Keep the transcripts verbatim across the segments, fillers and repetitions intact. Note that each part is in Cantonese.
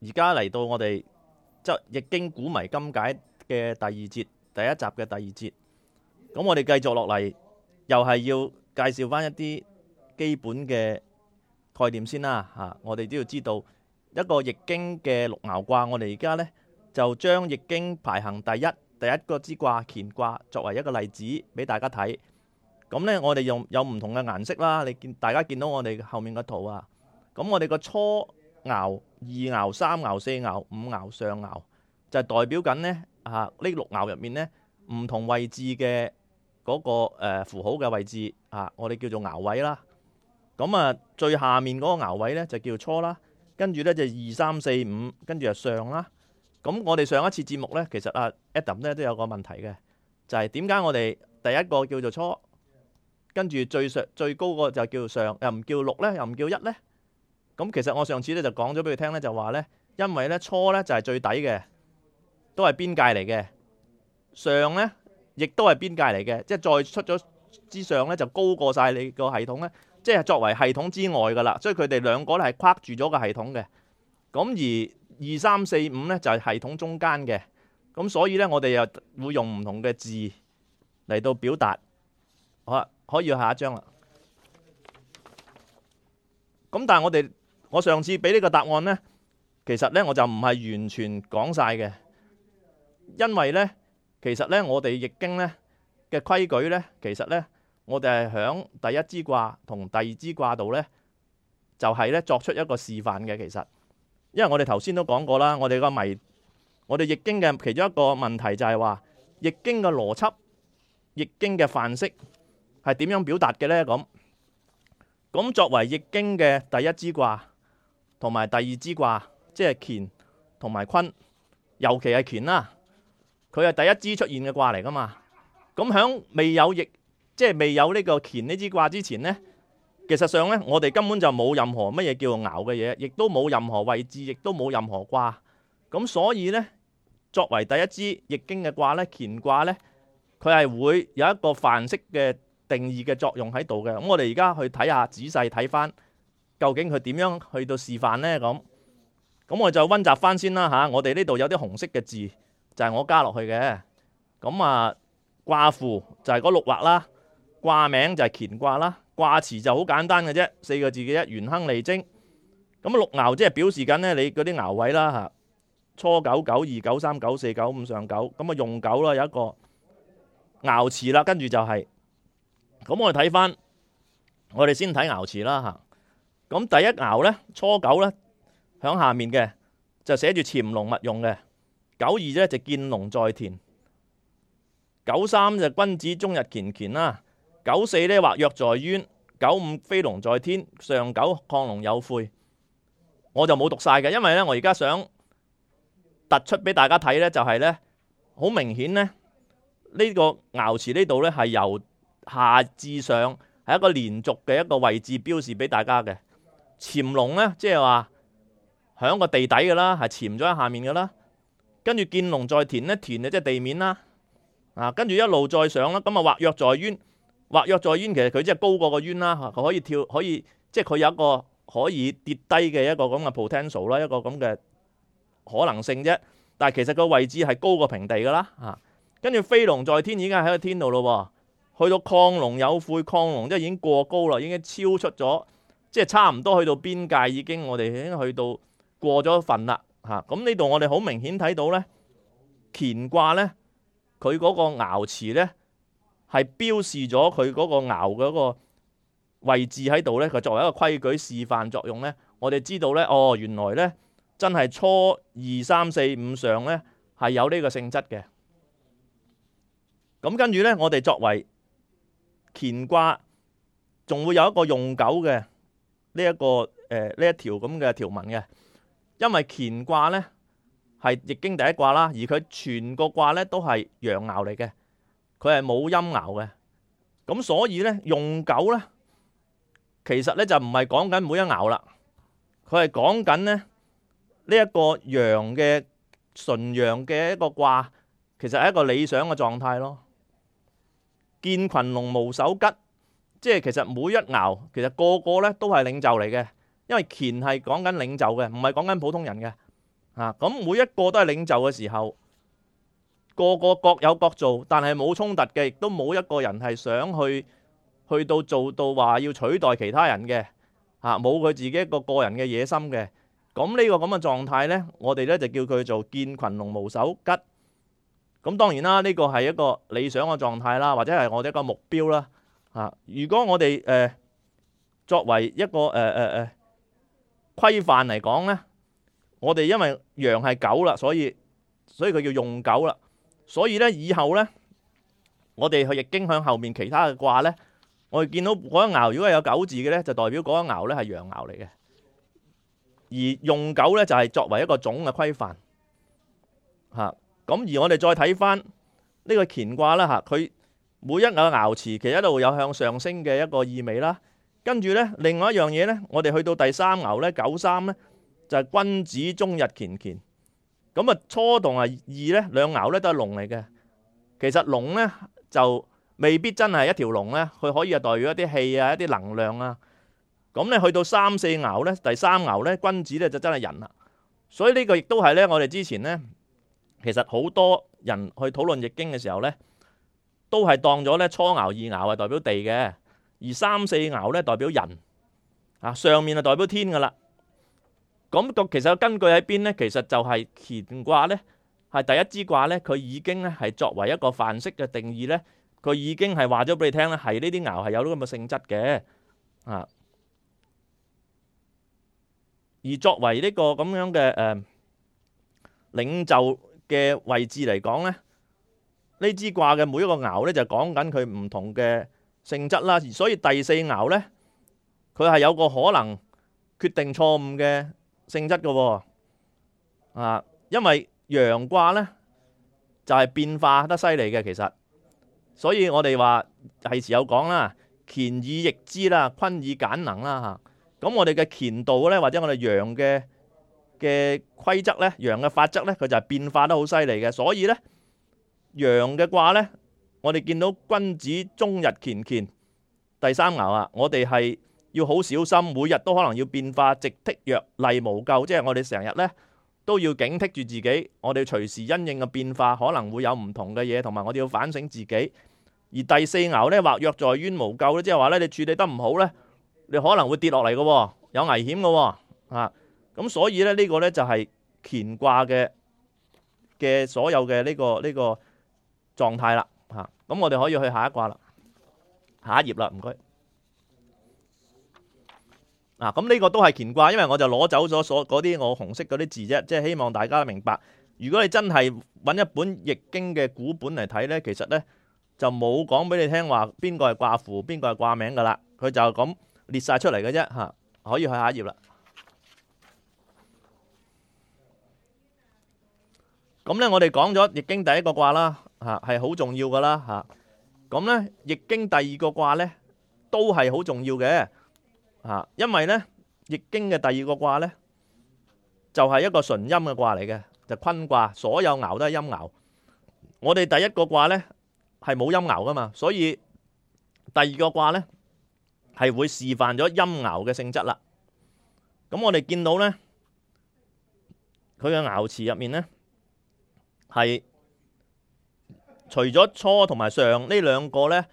而家嚟到我哋即係易經古謎今解嘅第二節，第一集嘅第二節。咁我哋繼續落嚟，又係要介紹翻一啲基本嘅概念先啦嚇。我哋都要知道一個易經嘅六爻卦，我哋而家呢，就將易經排行第一第一個之卦乾卦作為一個例子俾大家睇。咁呢，我哋用有唔同嘅顏色啦。你見大家見到我哋後面個圖啊。咁我哋個初爻、二爻、三爻、四爻、五爻、上爻，就係代表緊呢啊呢六爻入面呢唔同位置嘅嗰個誒符號嘅位置啊，我哋叫做爻位啦。咁啊，最下面嗰個爻位呢就叫初啦，跟住呢就二三四五，跟住就上啦。咁我哋上一次節目呢，其實啊 Adam 呢都有個問題嘅，就係點解我哋第一個叫做初，跟住最上最高個就叫上，又唔叫六呢，又唔叫一呢？咁其實我上次咧就講咗俾佢聽咧，就話咧，因為咧初咧就係最底嘅，都係邊界嚟嘅；上咧亦都係邊界嚟嘅，即係再出咗之上咧就高過晒你個系統咧，即係作為系統之外噶啦。所以佢哋兩個咧係跨住咗個系統嘅。咁而二三四五咧就係系統中間嘅。咁所以咧我哋又會用唔同嘅字嚟到表達。好啦，可以下一張啦。咁但係我哋我上次俾呢個答案呢，其實呢我就唔係完全講晒嘅，因為呢，其實呢我哋易經呢嘅規矩呢，其實呢我哋係響第一支卦同第二支卦度呢，就係呢作出一個示範嘅。其實，因為我哋頭先都講過啦，我哋個謎，我哋易經嘅其中一個問題就係話，易經嘅邏輯、易經嘅範式係點樣表達嘅呢？咁。咁作為易經嘅第一支卦同埋第二支卦，即係乾同埋坤，尤其係乾啦，佢係第一支出現嘅卦嚟噶嘛。咁響未有易，即係未有呢個乾呢支卦之前呢，其實上呢，我哋根本就冇任何乜嘢叫做爻嘅嘢，亦都冇任何位置，亦都冇任何卦。咁所以呢，作為第一支易經嘅卦呢，乾卦呢，佢係會有一個範式嘅定義嘅作用喺度嘅。咁我哋而家去睇下，仔細睇翻究竟佢點樣去到示範呢？咁咁我就溫習翻先啦嚇。我哋呢度有啲紅色嘅字，就係我加落去嘅。咁啊，卦符就係嗰六畫啦，卦名就係乾卦啦，卦辭就好簡單嘅啫，四個字嘅啫，元亨利貞。咁六爻即係表示緊呢你嗰啲爻位啦嚇，初九、九二、九三、九四、九五、上九。咁啊用九啦，有一個爻辭啦，跟住就係。咁我哋睇翻，我哋先睇爻辭啦嚇。咁第一爻咧，初九咧，響下面嘅就寫住潛龍勿用嘅。九二咧就見龍在田。九三就君子終日乾乾啦。九四咧或躍在淵。九五飛龍在天。上九亢龍有悔。我就冇讀晒嘅，因為咧我而家想突出俾大家睇咧，就係咧好明顯咧呢個爻辭呢度咧係由下至上係一個連續嘅一個位置標示俾大家嘅。潛龍呢，即係話響個地底嘅啦，係潛咗喺下面嘅啦。跟住見龍在田呢，田啊即係地面啦。啊，跟住一路再上啦，咁啊或躍在淵，或躍在淵其實佢即係高過個淵啦，佢可以跳，可以即係佢有一個可以跌低嘅一個咁嘅 potential 啦，一個咁嘅可能性啫。但係其實個位置係高過平地噶啦。啊，跟住飛龍在天已經喺個天度咯喎。去到亢龍有悔，亢龍即係已經過高啦，已經超出咗，即係差唔多去到邊界，已經我哋已經去到過咗份啦嚇。咁呢度我哋好明顯睇到咧，乾卦咧，佢嗰個爻辭咧係標示咗佢嗰個爻嗰個位置喺度咧，佢作為一個規矩示範作用咧，我哋知道咧，哦原來咧真係初二三四五上咧係有呢個性質嘅。咁跟住咧，我哋作為乾卦仲會有一個用九嘅呢一個誒呢、呃、一條咁嘅條文嘅，因為乾卦咧係易經第一卦啦，而佢全個卦咧都係陽爻嚟嘅，佢係冇陰爻嘅，咁所以咧用九咧其實咧就唔係講緊每一爻啦，佢係講緊咧呢一個陽嘅純陽嘅一個卦，其實係一個理想嘅狀態咯。見群龍無首吉，即係其實每一爻其實個個咧都係領袖嚟嘅，因為乾係講緊領袖嘅，唔係講緊普通人嘅。啊，咁每一個都係領袖嘅時候，個個各有各做，但係冇衝突嘅，亦都冇一個人係想去去到做到話要取代其他人嘅，嚇冇佢自己一個個人嘅野心嘅。咁呢個咁嘅狀態呢，我哋呢就叫佢做見群龍無首吉。咁當然啦，呢個係一個理想嘅狀態啦，或者係我哋一個目標啦。啊，如果我哋誒、呃、作為一個誒誒誒規範嚟講呢，我哋因為羊係狗啦，所以所以佢叫用狗啦。所以呢，以後呢，我哋去易經向後面其他嘅卦呢，我哋見到嗰一爻如果係有狗字嘅呢，就代表嗰一爻呢係陽爻嚟嘅。而用狗咧就係作為一個總嘅規範嚇，咁而我哋再睇翻呢個乾卦啦嚇，佢每一個爻辭其實一路有向上升嘅一個意味啦。跟住咧，另外一樣嘢咧，我哋去到第三爻咧，九三咧就係君子終日乾乾。咁啊，初同啊二咧兩爻咧都係龍嚟嘅。其實龍咧就未必真係一條龍咧，佢可以係代表一啲氣啊、一啲能量啊。咁咧去到三四爻咧，第三爻咧，君子咧就真係人啦。所以呢個亦都係咧，我哋之前咧，其實好多人去討論易經嘅時候咧，都係當咗咧初爻、二爻係代表地嘅，而三四爻咧代表人啊，上面係代表天噶啦。咁個其實根據喺邊咧？其實就係乾卦咧，係第一支卦咧，佢已經咧係作為一個範式嘅定義咧，佢已經係話咗俾你聽咧，係呢啲爻係有咁嘅性質嘅啊。而作為呢個咁樣嘅誒、呃、領袖嘅位置嚟講咧，呢支卦嘅每一個爻咧就講緊佢唔同嘅性質啦。而所以第四爻咧，佢係有個可能決定錯誤嘅性質嘅喎啊，因為陽卦咧就係、是、變化得犀利嘅，其實，所以我哋話係時有講啦，乾以易之啦，坤以簡能啦嚇。咁我哋嘅乾道咧，或者我哋陽嘅嘅規則咧，陽嘅法則咧，佢就係變化得好犀利嘅。所以咧，陽嘅卦咧，我哋見到君子終日乾乾，第三爻啊，我哋係要好小心，每日都可能要變化，直剔若厲無咎，即係我哋成日咧都要警惕住自己，我哋隨時因應嘅變化可能會有唔同嘅嘢，同埋我哋要反省自己。而第四爻咧，或若在淵無咎咧，即係話咧，你處理得唔好咧，你可能會跌落嚟嘅，有危險嘅啊！咁所以咧，呢個咧就係乾卦嘅嘅所有嘅呢個呢個狀態啦嚇。咁我哋可以去下一卦啦，下一頁啦，唔該。啊，咁呢個都係乾卦，因為我就攞走咗所嗰啲我紅色嗰啲字啫，即係希望大家明白。如果你真係揾一本易經嘅古本嚟睇咧，其實咧就冇講俾你聽話邊個係卦符，邊個係卦名噶啦，佢就咁列晒出嚟嘅啫嚇。可以去下一頁啦。咁咧，我哋講咗易經第一個卦啦，嚇係好重要噶啦嚇。咁咧，易經第二個卦咧都係好重要嘅嚇，因為咧易經嘅第二個卦咧就係一個純陰嘅卦嚟嘅，就坤卦，所有爻都係陰爻。我哋第一個卦咧係冇陰爻噶嘛，所以第二個卦咧係會示範咗陰爻嘅性質啦。咁我哋見到咧，佢嘅爻辭入面咧係除咗初同埋上呢兩個咧，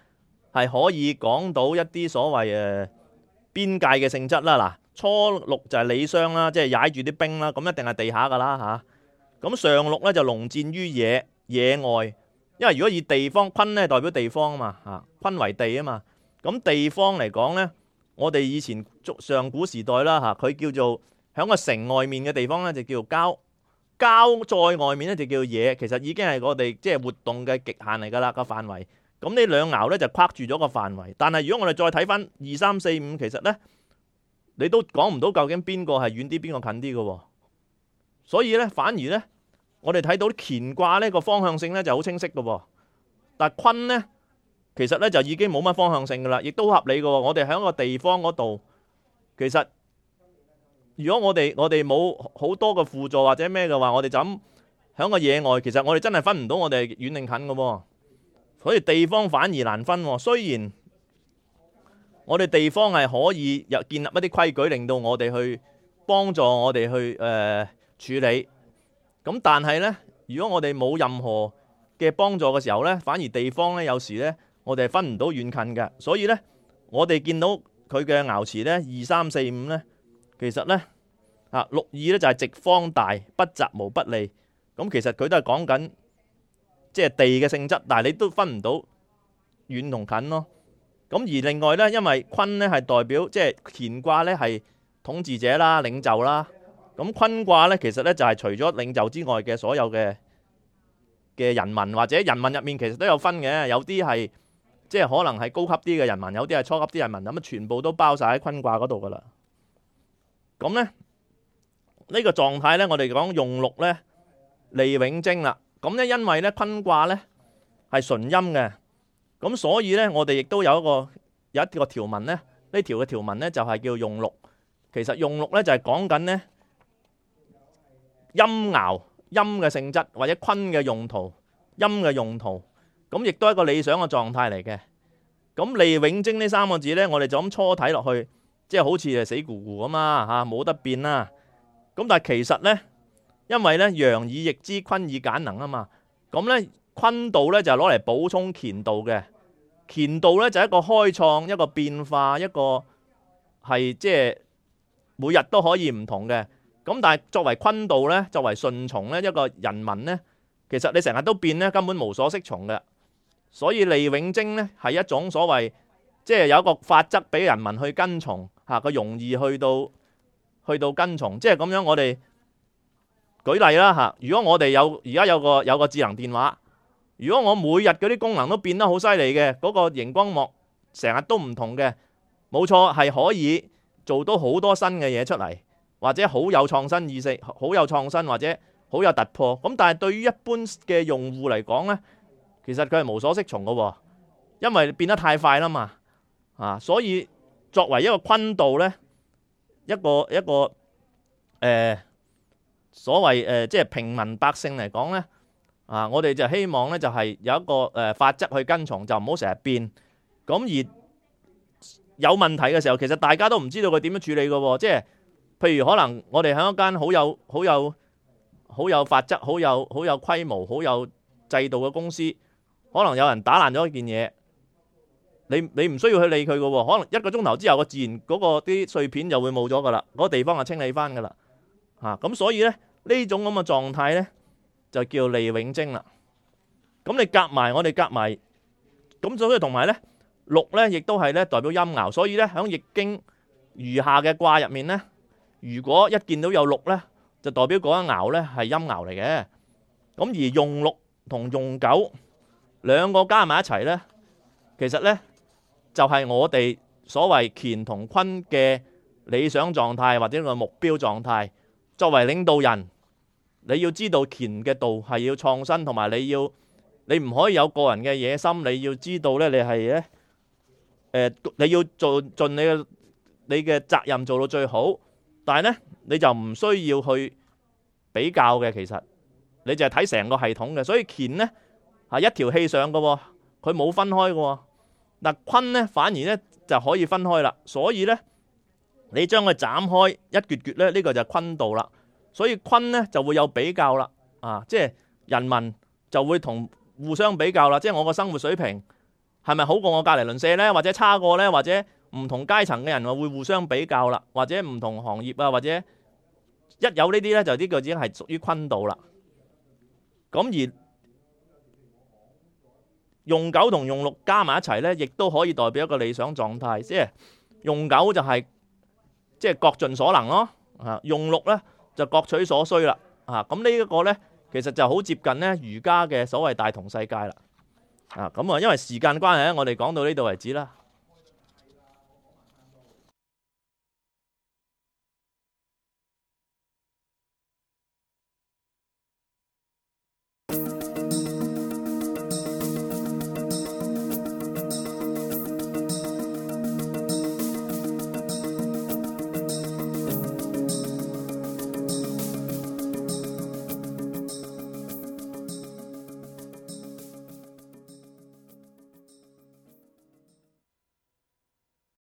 係可以講到一啲所謂誒邊界嘅性質啦。嗱，初六就係履霜啦，即係踩住啲冰啦，咁一定係地下噶啦嚇。咁上六咧就龍戰於野野外，因為如果以地方坤咧代表地方啊嘛嚇，坤為地啊嘛。咁地方嚟講咧，我哋以前上古時代啦嚇，佢叫做喺個城外面嘅地方咧就叫做郊，郊在外面咧就叫做野。其實已經係我哋即係活動嘅極限嚟㗎啦個範圍。咁呢兩爻咧就框住咗個範圍。但係如果我哋再睇翻二三四五，其實咧你都講唔到究竟邊個係遠啲，邊個近啲嘅喎。所以咧反而咧，我哋睇到乾卦呢個方向性咧就好清晰嘅喎。但係坤咧，其實咧就已經冇乜方向性噶啦，亦都合理嘅喎。我哋喺個地方嗰度，其實如果我哋我哋冇好多嘅輔助或者咩嘅話，我哋就咁喺個野外，其實我哋真係分唔到我哋遠定近嘅喎。所以地方反而難分喎。雖然我哋地方係可以有建立一啲規矩，令到我哋去幫助我哋去誒、呃、處理，咁但係呢，如果我哋冇任何嘅幫助嘅時候呢，反而地方呢，有時呢，我哋係分唔到遠近嘅。所以呢，我哋見到佢嘅爻辭呢，二三四五呢，其實呢，啊六二呢就係直方大，不澤無不利。咁其實佢都係講緊即係地嘅性質，但係你都分唔到遠同近咯。咁而另外呢，因為坤呢係代表即係乾卦呢係統治者啦、領袖啦。咁坤卦呢，其實呢就係除咗領袖之外嘅所有嘅嘅人民，或者人民入面其實都有分嘅，有啲係即係可能係高級啲嘅人民，有啲係初級啲人民，咁啊全部都包晒喺坤卦嗰度噶啦。咁呢，呢個狀態呢，我哋講用六呢，利永貞啦。咁呢，因為呢坤卦呢係純陰嘅。咁所以咧，我哋亦都有一個有一個條文咧，呢條嘅條文咧就係叫用六。其實用六咧就係講緊咧陰爻陰嘅性質，或者坤嘅用途，陰嘅用途。咁亦都係一個理想嘅狀態嚟嘅。咁利永貞呢三個字咧，我哋就咁初睇落去，即係好似係死咕咕咁啊嚇，冇得變啦。咁但係其實咧，因為咧陽以易之，坤以簡能啊嘛。咁咧坤道咧就係攞嚟補充乾道嘅。乾道咧就係一個開創，一個變化，一個係即係每日都可以唔同嘅。咁但係作為坤道咧，作為順從咧，一個人民咧，其實你成日都變咧，根本無所適從嘅。所以利永貞咧係一種所謂即係有一個法則俾人民去跟從嚇，佢容易去到去到跟從。即係咁樣，我哋舉例啦嚇。如果我哋有而家有個有個智能電話。如果我每日嗰啲功能都變得好犀利嘅，嗰個熒光幕成日都唔同嘅，冇錯係可以做到好多新嘅嘢出嚟，或者好有創新意識，好有創新或者好有突破。咁但係對於一般嘅用戶嚟講呢，其實佢係無所適從嘅，因為變得太快啦嘛。啊，所以作為一個坤道呢，一個一個誒、呃、所謂誒、呃、即係平民百姓嚟講呢。啊！我哋就希望咧，就係有一個誒法則去跟從，就唔好成日變。咁而有問題嘅時候，其實大家都唔知道佢點樣處理嘅喎。即係譬如可能我哋喺一間好有好有好有法則、好有好有規模、好有制度嘅公司，可能有人打爛咗一件嘢，你你唔需要去理佢嘅喎。可能一個鐘頭之後，個自然嗰個啲碎片就會冇咗㗎啦，嗰個地方就清理翻㗎啦。嚇咁，所以咧呢種咁嘅狀態咧，就叫利永貞啦。咁你夾埋，我哋夾埋，咁所以同埋咧，六咧亦都係咧代表陰爻。所以咧喺易經餘下嘅卦入面咧，如果一見到有六咧，就代表嗰一爻咧係陰爻嚟嘅。咁而用六同用九兩個加埋一齊咧，其實咧就係我哋所謂乾同坤嘅理想狀態或者個目標狀態。作為領導人，你要知道乾嘅道係要創新，同埋你要你唔可以有個人嘅野心。你要知道咧，你係咧誒，你要做盡你嘅你嘅責任做到最好。但係咧，你就唔需要去比較嘅。其實你就係睇成個系統嘅。所以乾咧係一條氣上嘅喎，佢冇分開嘅喎。嗱，坤咧反而咧就可以分開啦。所以咧你將佢斬開一橛橛咧，呢個就係坤道啦。所以坤咧就會有比較啦，啊，即係人民就會同互相比較啦。即係我個生活水平係咪好過我隔離鄰舍咧，或者差過咧，或者唔同階層嘅人會互相比較啦，或者唔同行業啊，或者一有呢啲咧，就呢個已經係屬於坤道啦。咁而用九同用六加埋一齊咧，亦都可以代表一個理想狀態。即係用九就係即係各盡所能咯，啊，用六咧就各取所需啦，啊，咁呢一個咧，其實就好接近咧儒家嘅所謂大同世界啦，啊，咁啊，因為時間關係咧，我哋講到呢度為止啦。